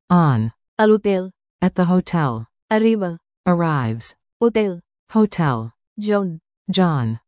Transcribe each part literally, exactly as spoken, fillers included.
On. A l'hotel. At the hotel. Arriba. Arrives. Hotel. Hotel. John. John.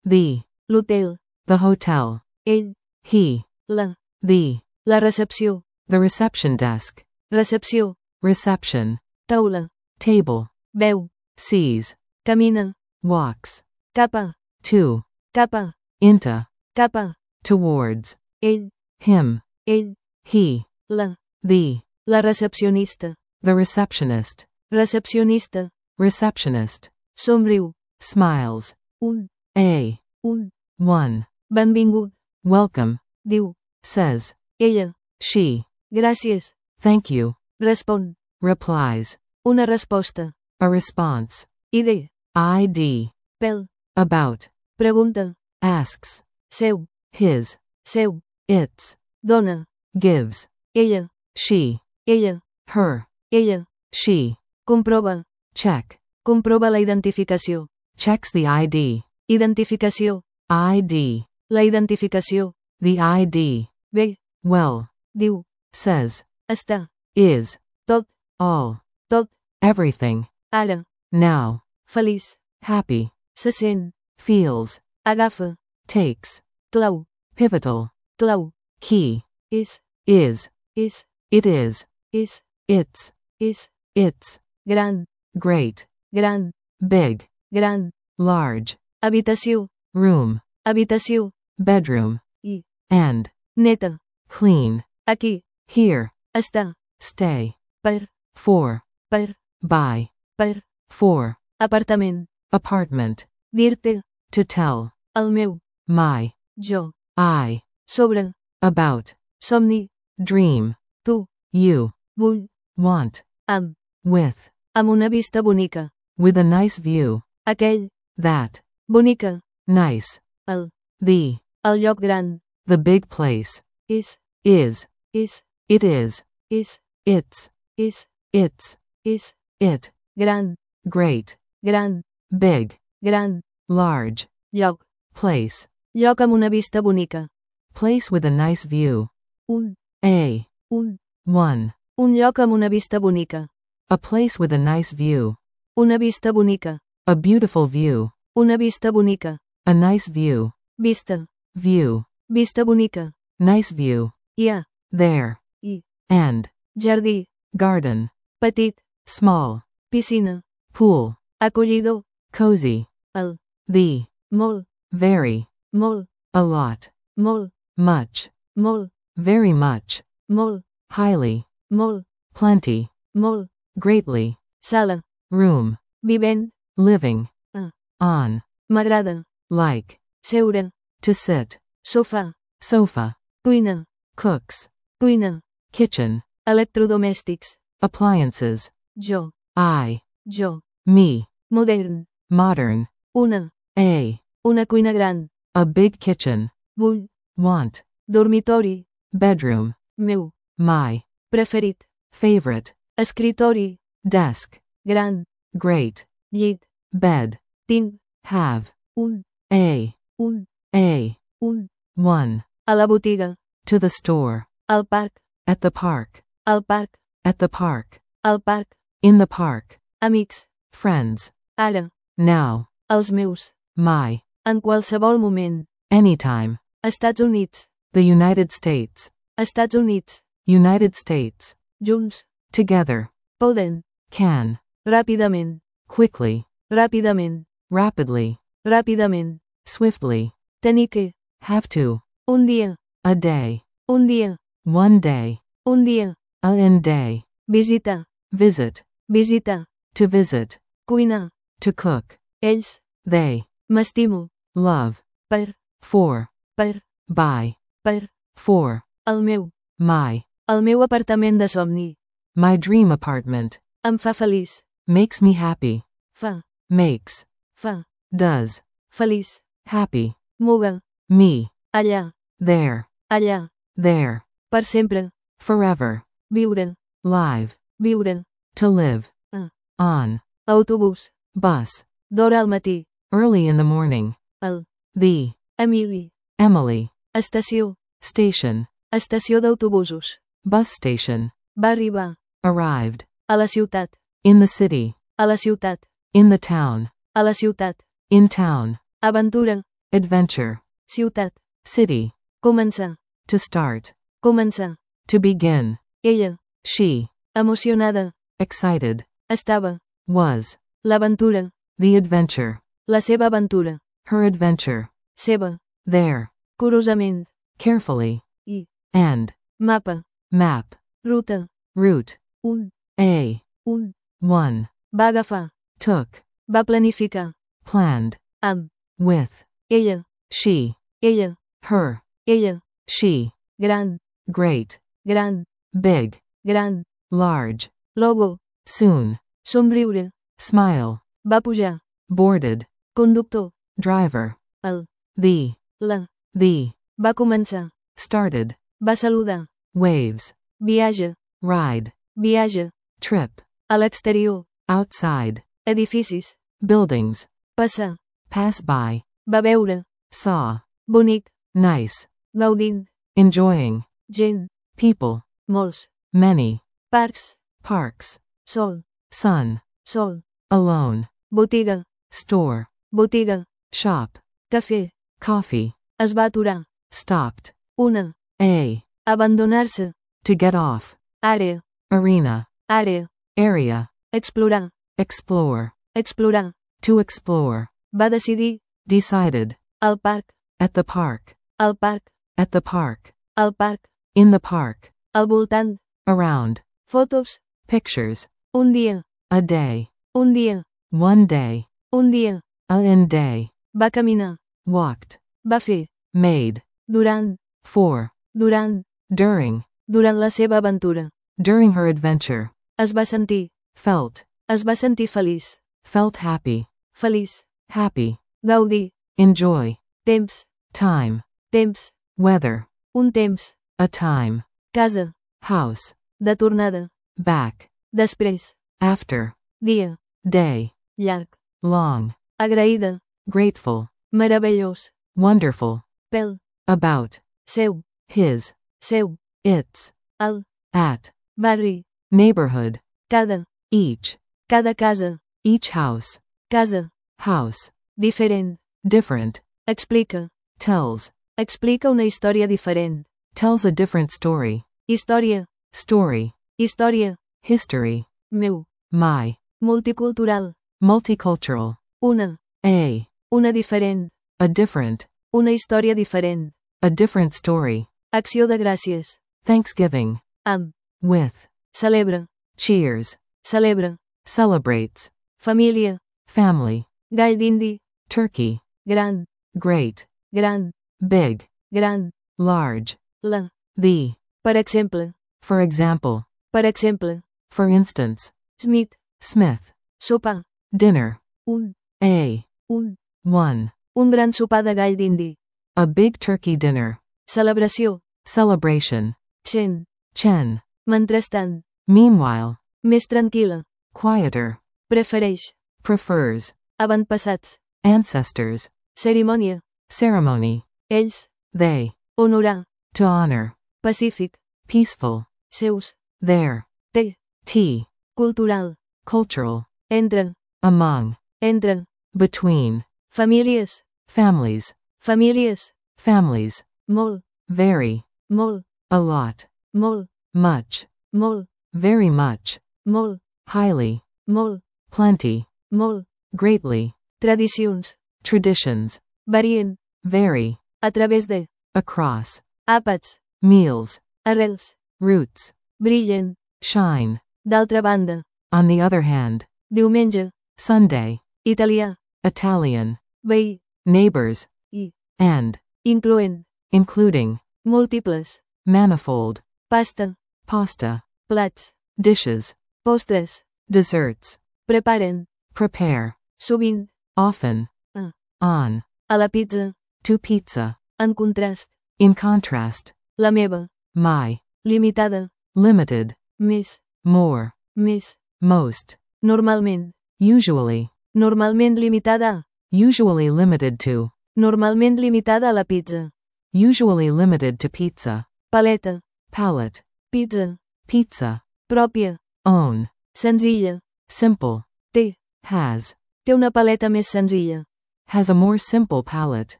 The. L'hotel. The hotel. Ell. He. La. The. La recepció. The reception desk. Recepció. Reception. Taula. Table. Veu. Sees. Camina. Walks. Cap a. To. Cap a. Into. Cap a. Towards. Ell. Him. Ell. He. La. The. La recepcionista. The receptionist. Recepcionista. Receptionist. Somriu. Smiles. Un. A. Un. One. Benvingut. Welcome. Diu. Says. Ella. She. Gràcies. Thank you. Respon. Replies. Una resposta. A response. Ide. Id. Pel. About. Pregunta. Asks. Seu. His. Seu. Its. Dona. Gives. Ella. She. Ella. Her. Ella. She. Comprova. Check. Comprova la identificació. Checks the I D. Identificació. I D. La identificació. The I D. Bé. Well. Diu. Says. Està. Is. Tot. All. Tot. Everything. Ara. Now. Feliç. Happy. Se sent. Feels. Agafa. Takes. Clau. Pivotal. Clau. Key. És. Is. És. It is. És. It's. És. It's. Gran. Great. Gran. Big. Gran. Large. Habitació. Room. Habitació. Bedroom. I. And. Neta. Clean. Aquí. Here. Està. Stay. Per. For. Per. By. Per. For. Apartament. Apartment. Dir-te. To tell. El meu. My. Jo. I. Sobre. About. Somni. Dream. Tu. You. Vull. Want. Amb. With. Amb una vista bonica. With a nice view. Aquell. That. Bonica. Nice. El. The. El lloc gran. The big place. És. Is. És. It is. És. It's. És. It's. És. It. Gran. Great. Gran. Big. Gran. Large. Lloc. Place. Lloc amb una vista bonica. Place with a nice view. Un. A. Un. One. Un lloc amb una vista bonica. A place with a nice view. Una vista bonica. A beautiful view. Una vista bonica. A nice view. Vista. View. Vista bonica. Nice view. Hi ha. There. I. And. Jardí. Garden. Petit. Small. Piscina. Pool. Acollidor. Cozy. El. The. Molt. Very. Molt. A lot. Molt. Much. Molt. Very much. Molt. Highly. Molt. Plenty. Molt. Greatly. Sala. Room. Vivent. Living. Ah. On. M'agrada. Like. Seure. To sit. Sofà. Sofa. Cuina. Cooks. Cuina. Kitchen. Electrodomèstics. Appliances. Jo. I. Jo. Me. Modern. Modern. Una. A. Una cuina gran. A big kitchen. Vull. Want. Dormitori. Bedroom. Meu. My. Preferit. Favorite. Escritori. Desk. Gran. Great. Llit. Bed. Tinc. Have. Un. A. Un. A. Un. One. A la botiga. To the store. Al parc. At the park. Al parc. At the park. Al parc. In the park. Amics. Friends. Ara. Now. Els meus. My. En qualsevol moment. Anytime. Estats Units. The United States. Estats Units. United States. Junts. Together. Poden. Can. Ràpidament. Quickly. Ràpidament. Rapidly. Ràpidament. Swiftly. Tenir que. Have to. Un dia. A day. Un dia. One day. Un dia. A in day. Visitar. Visit. Visitar. To visit. Cuinar. To cook. Ells. They. M'estimo. Love. Per. For. Per. By. Per. For. El meu. My. El meu apartament de somni. My dream apartment. Em fa feliç. Makes me happy. Fa. Makes. Fa. Does. Feliç. Happy. Muga. Me. Allà. There. Allà. There. Per sempre. Forever. Viure. Live. Viure. To live. Ah. On. Autobús. Bus. D'hora al matí. Early in the morning. El. The. Emili. Emily. Estació. Station. Estació d'autobusos. Bus station. Va arribar. Arrived. A la ciutat. In the city. A la ciutat. In the town. A la ciutat. In town. Aventura. Adventure. Ciutat. City. Començar. To start. Començar. To begin. Ella. She. Emocionada. Excited. Estava. Was. L'aventura. The adventure. La seva aventura. Her adventure. Seva. There. Curosament. Carefully. I. And. Mapa. Map. Ruta. Route. Un. A. Un. One. Va agafar. Took. Va planificar. Planned. Amb. With. Ella. She. Ella. Her. Ella. She. Gran. Great. Gran. Big. Gran. Large. Logo. Soon. Somriure. Smile. Va pujar. Boarded. Conductor. Driver. El. The. La. The. Va començar. Started. Va saludar. Waves. Viatge. Ride. Viatge. Trip. A l'exterior. Outside. Edificis. Buildings. Passar. Pass by. Va veure. Saw. Bonic. Nice. Gaudint. Enjoying. Gent. People. Molts. Many. Parcs. Parks. Sol. Sun. Sol. Alone. Botiga. Store. Botiga. Shop. Cafè. Coffee. Es va aturar. Stopped. Una. A. Abandonar-se. To get off. Àrea. Arena. Àrea. Area. Explorar. Explore. Explorar. To explore. Va decidir. Decided. Al parc. At the park. Al parc. At the park. Al parc. In the park. Al voltant. Around. Fotos. Pictures. Un dia. A day. Un dia. One day. Un dia. A in day. Va caminar. Walked. Va fer. Made. Durant. For. Durant. During. Durant la seva aventura. During her adventure. Es va sentir. Felt. Es va sentir feliç. Felt happy. Feliç. Happy. Gaudir. Enjoy. Temps. Time. Temps. Weather. Un temps. A time. Casa. House. De tornada. Back. Després. After. Dia. Day. Llarg. Long. Agraïda. Grateful. Meravellós. Wonderful. Pel. About. Seu. His. Seu. Its. Al. At. Barri. Neighborhood. Cada. Each. Cada casa. Each house. Casa. House. Diferent. Different. Explica. Tells. Explica una història diferent. Tells a different story. Història. Story. Història. History. Meu. My. Multicultural. Multicultural. Una. A. Una diferent. A different. Una història diferent. A different story. Acció de gràcies. Thanksgiving. Amb. With. Celebra. Cheers. Celebra. Celebrates. Família. Family. Gall d'indi. Turkey. Gran. Great. Gran. Big. Gran. Large. La. The. Per exemple. For example. Per exemple. For instance. Smith. Smith. Sopar. Dinner. Un. A. Un. One. Un gran sopar de gall d'indi. A big turkey dinner. Celebració. Celebration. Chen. Chen. Mentrestant. Meanwhile. Més tranquil·la. Quieter. Prefereix. Prefers. Avantpassats. Ancestors. Cerimònia. Ceremony. Ells. They. Honorar. To honor. Pacífic. Peaceful. Seus. There. Té. Tea. Cultural. Cultural. Entre. Among. Entre. Between. Famílies. Families. Famílies. Families. Molt. Very. Molt. A lot. Molt. Much. Molt. Very much. Molt. Highly. Molt. Plenty. Molt. Greatly. Tradicions. Traditions. Varient. Vary. A través de. Across. Àpats. Meals. Arrels. Roots. Brillen. Shine. D'altra banda. On the other hand. Diumenge. Sunday. Italià. Italian. Veí. Neighbors. I. And. Incloent. Including. Múltiples. Manifold. Pasta. Pasta. Plats. Dishes. Postres. Desserts. Preparen. Prepare. Sovint. Often. A. On. A la pizza. To pizza. En contrast. In contrast. La meva. My. Limitada. Limited. Més. More. Més. Most. Normalment. Usually. Normalment limitada a. Usually limited to. Normalment limitada a la pizza. Usually limited to pizza. Paleta. Palette. Pizza. Pizza. pròpia, own, senzilla, simple, té, has, té una paleta més senzilla, has a more simple palette,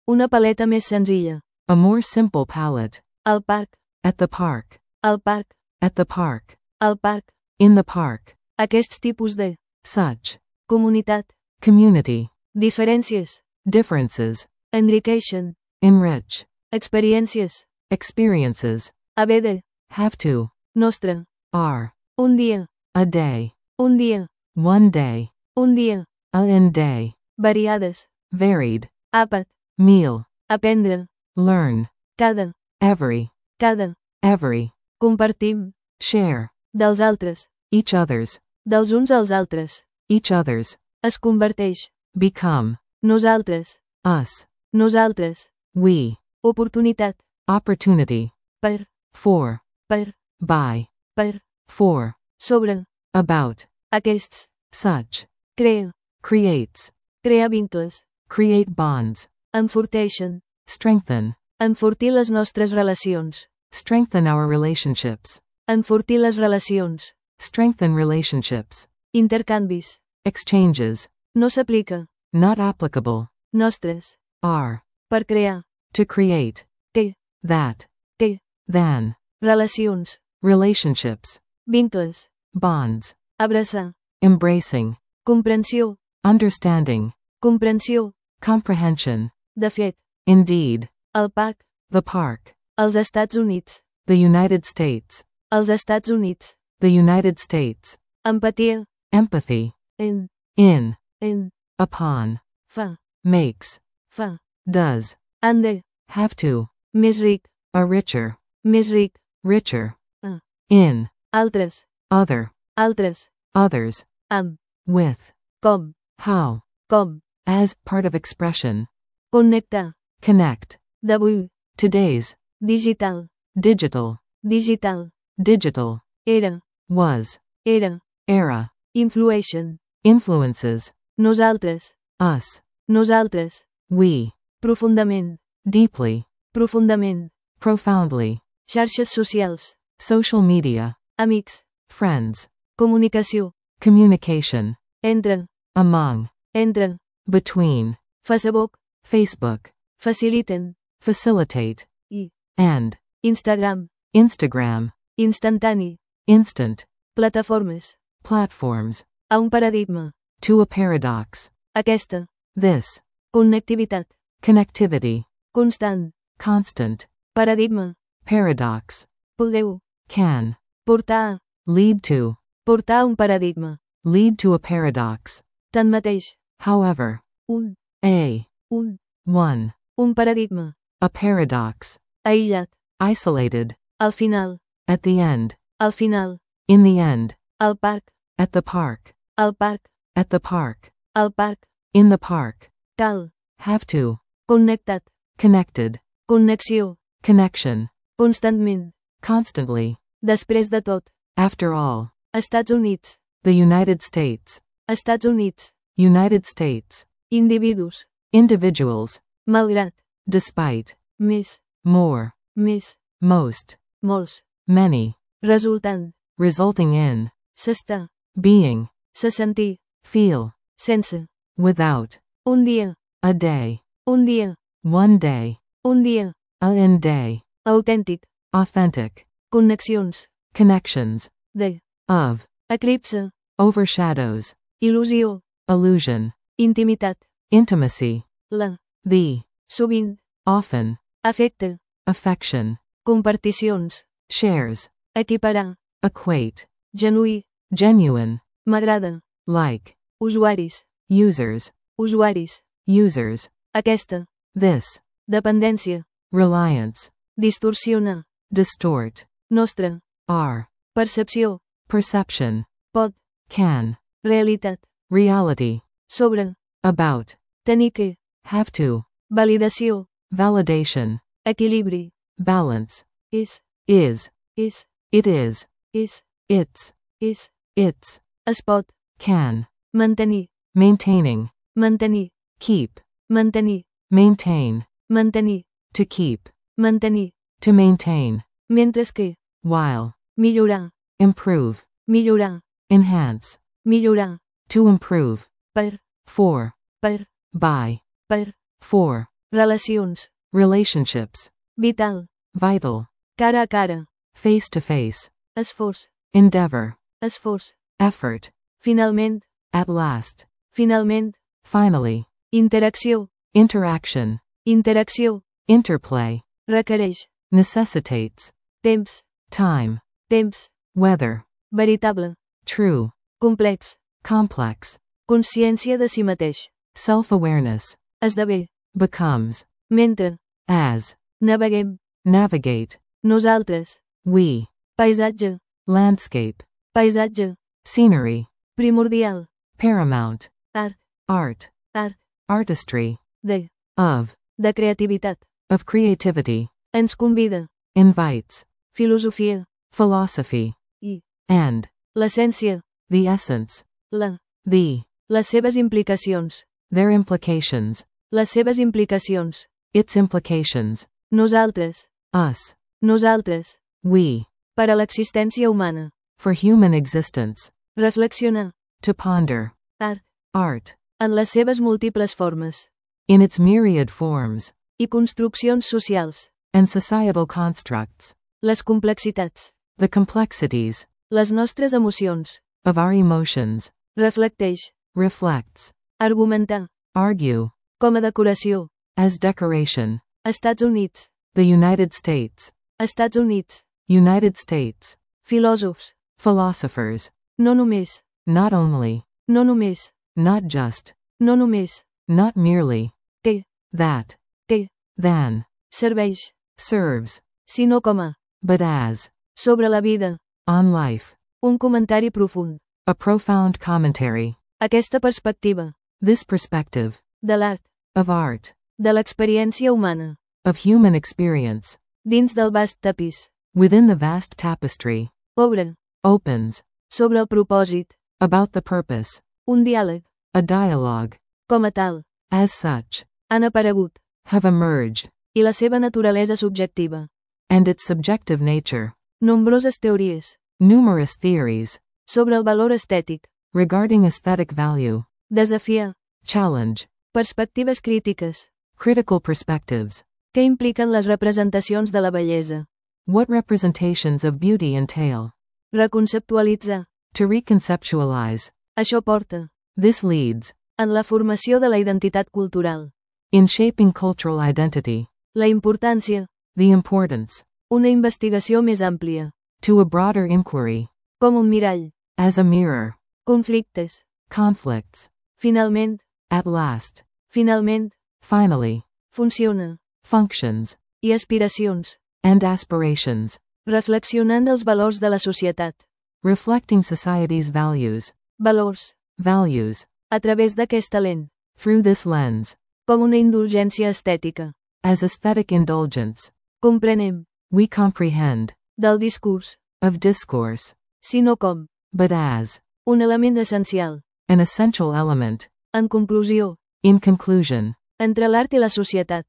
una paleta més senzilla, a more simple palette, al parc, at the park, al parc, at the park, al parc, in the park, aquests tipus de such, comunitat, community, diferències, differences, enriqueixen, enrich, experiències, experiences, haver de, have to, nostre, are, un dia, a day, un dia, one day, un dia, a in day, variades, varied, àpat, meal, aprendre, learn, cada, every, cada, every, compartim, share, dels altres, each other's, dels uns als altres, each other's, es converteix, become, nosaltres, us, nosaltres, we, oportunitat, opportunity, per, for, per, by, per, for, sobre, about, aquests, such, crea, creates, crea vincles, create bonds, enforteixen, strengthen, enfortir les nostres relacions, strengthen our relationships, enfortir les relacions, strengthen relationships, intercanvis, exchanges, no s'aplica, not applicable, nostres, are, per crear, to create, que, that, que, than, relacions, relationships, vincles, bonds, abraçar, embracing, comprensió, understanding, comprensió, comprehension, de fet, indeed, el parc, the park, els Estats Units, the United States, els Estats Units, the United States, empatia, empathy, en, in, en, upon, fa, makes, fa, does, han de, have to, més ric, a richer, més ric, richer, Ah. in, altres, other, altres, others, amb, with, com, how, com, as part of expression, connectar, connect, d'avui, today's, digital, digital, digital, digital, era, was, era, era, influeixen, influences, nosaltres, us, nosaltres, we, profundament, deeply, profundament, profoundly, xarxes socials, social media, amics, friends, comunicació, communication, entre, among, entre, between, Facebook, Facebook, faciliten, facilitate, i, and, Instagram, Instagram, instantani, instant, plataformes, platforms, a un paradigma, to a paradox, aquesta, this, connectivitat, connectivity, constant, constant, paradigma, paradox, podeu, can, portar a, lead to, portar a un paradigma, lead to a paradox, tanmateix, however, un, a, un, one, un paradigma, a paradox, aïllat, isolated, al final, at the end, al final, in the end, al parc, at the park, al parc, at the park, al parc, in the park, cal, have to, connectat, connected, connexió, connection, constantment, constantly, després de tot, after all, Estats Units, the United States, Estats Units, United States, individus, individuals, malgrat, despite, més, more, més, most, molts, many, resultant, resulting in, s'està, being, se sentir, feel, sense, without, un dia, a day, un dia, one day, un dia, a in day, autèntic, authentic, connexions, connections, de, of, eclipse, overshadows, il·lusió, illusion, intimitat, intimacy, la, the, sovint, often, afecte, affection, comparticions, shares, equiparar, equate, genuí, genuine, m'agrada, like, usuaris, users, usuaris, users, aquesta, this, dependència, reliance, distorsiona, distort, nostra, are, percepció, perception, pot, can, realitat, reality, sobre, about, tenir que, have to, validació, validation, equilibri, balance, és, is, és, it is, és, it's, és, its, es pot, can, mantenir, maintaining, mantenir, keep, mantenir, maintain, mantenir, to keep, mantenir, to maintain, mentre que, while, millorar, improve, millorar, enhance, millorar, to improve, per, for, per, by, per, for, relacions, relationships, vital, vital, cara a cara, face to face, esforç, endeavor, esforç, effort, finalment, at last, finalment, finally, interacció, interaction, interacció, interplay, requereix, necessitates, temps, time, temps, weather, veritable, true, complex, complex, consciència de si mateix, self-awareness, esdevé, becomes, mentre, as, naveguem, navigate, nosaltres, we, paisatge, landscape, paisatge, scenery, primordial, paramount, art, art, art, artistry, de, of, de creativitat, of creativity, ens convida, invites, filosofia, philosophy, i, and, l'essència, the essence, la, the, les seves implicacions, their implications, les seves implicacions, its implications, nosaltres, us, nosaltres, we, per a l'existència humana, for human existence, reflexionar, to ponder, art, art, en les seves múltiples formes, in its myriad forms, i construccions socials, and societal constructs, les complexitats, the complexities, les nostres emocions, of our emotions, reflecteix, reflects, argumentar, argue, com a decoració, as decoration, Estats Units, the United States, Estats Units, United States, filòsofs, philosophers, no només, not only, no només, not just, no només, not merely, que, that, que, than, serveix, serves, sinó com a, but as, sobre la vida, on life, un comentari profund. a profound commentary, Aquesta perspectiva, this perspective, de l'art, of art, de l'experiència humana, of human experience, dins del vast tapís, within the vast tapestry, obre, opens, sobre el propòsit, about the purpose, un diàleg, a dialogue, com a tal, as such, han aparegut, have emerged, i la seva naturalesa subjectiva, and its subjective nature, nombroses teories, numerous theories, sobre el valor estètic, regarding aesthetic value, desafiar, challenge, perspectives crítiques, critical perspectives, què impliquen les representacions de la bellesa, what representations of beauty entail, reconceptualitzar, to reconceptualize, això porta, this leads, en la formació de la identitat cultural, in shaping cultural identity, la importància, the importance, una investigació més àmplia, to a broader inquiry, com un mirall, as a mirror, conflictes, conflicts, finalment, at last, finalment, finally, funciona, functions, i aspiracions, and aspirations, reflexionant els valors de la societat, reflecting society's values, valors, values, a través d'aquesta lent, through this lens, com una indulgència estètica, as aesthetic indulgence, comprenem, we comprehend, del discurs, of discourse, sinó com, but as, un element essencial, an essential element, en conclusió, in conclusion, entre l'art i la societat,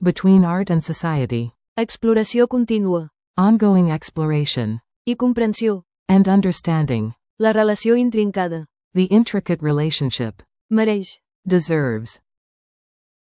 between art and society, exploració contínua, ongoing exploration, i comprensió, and understanding, la relació intrincada, the intricate relationship, mereix, deserves,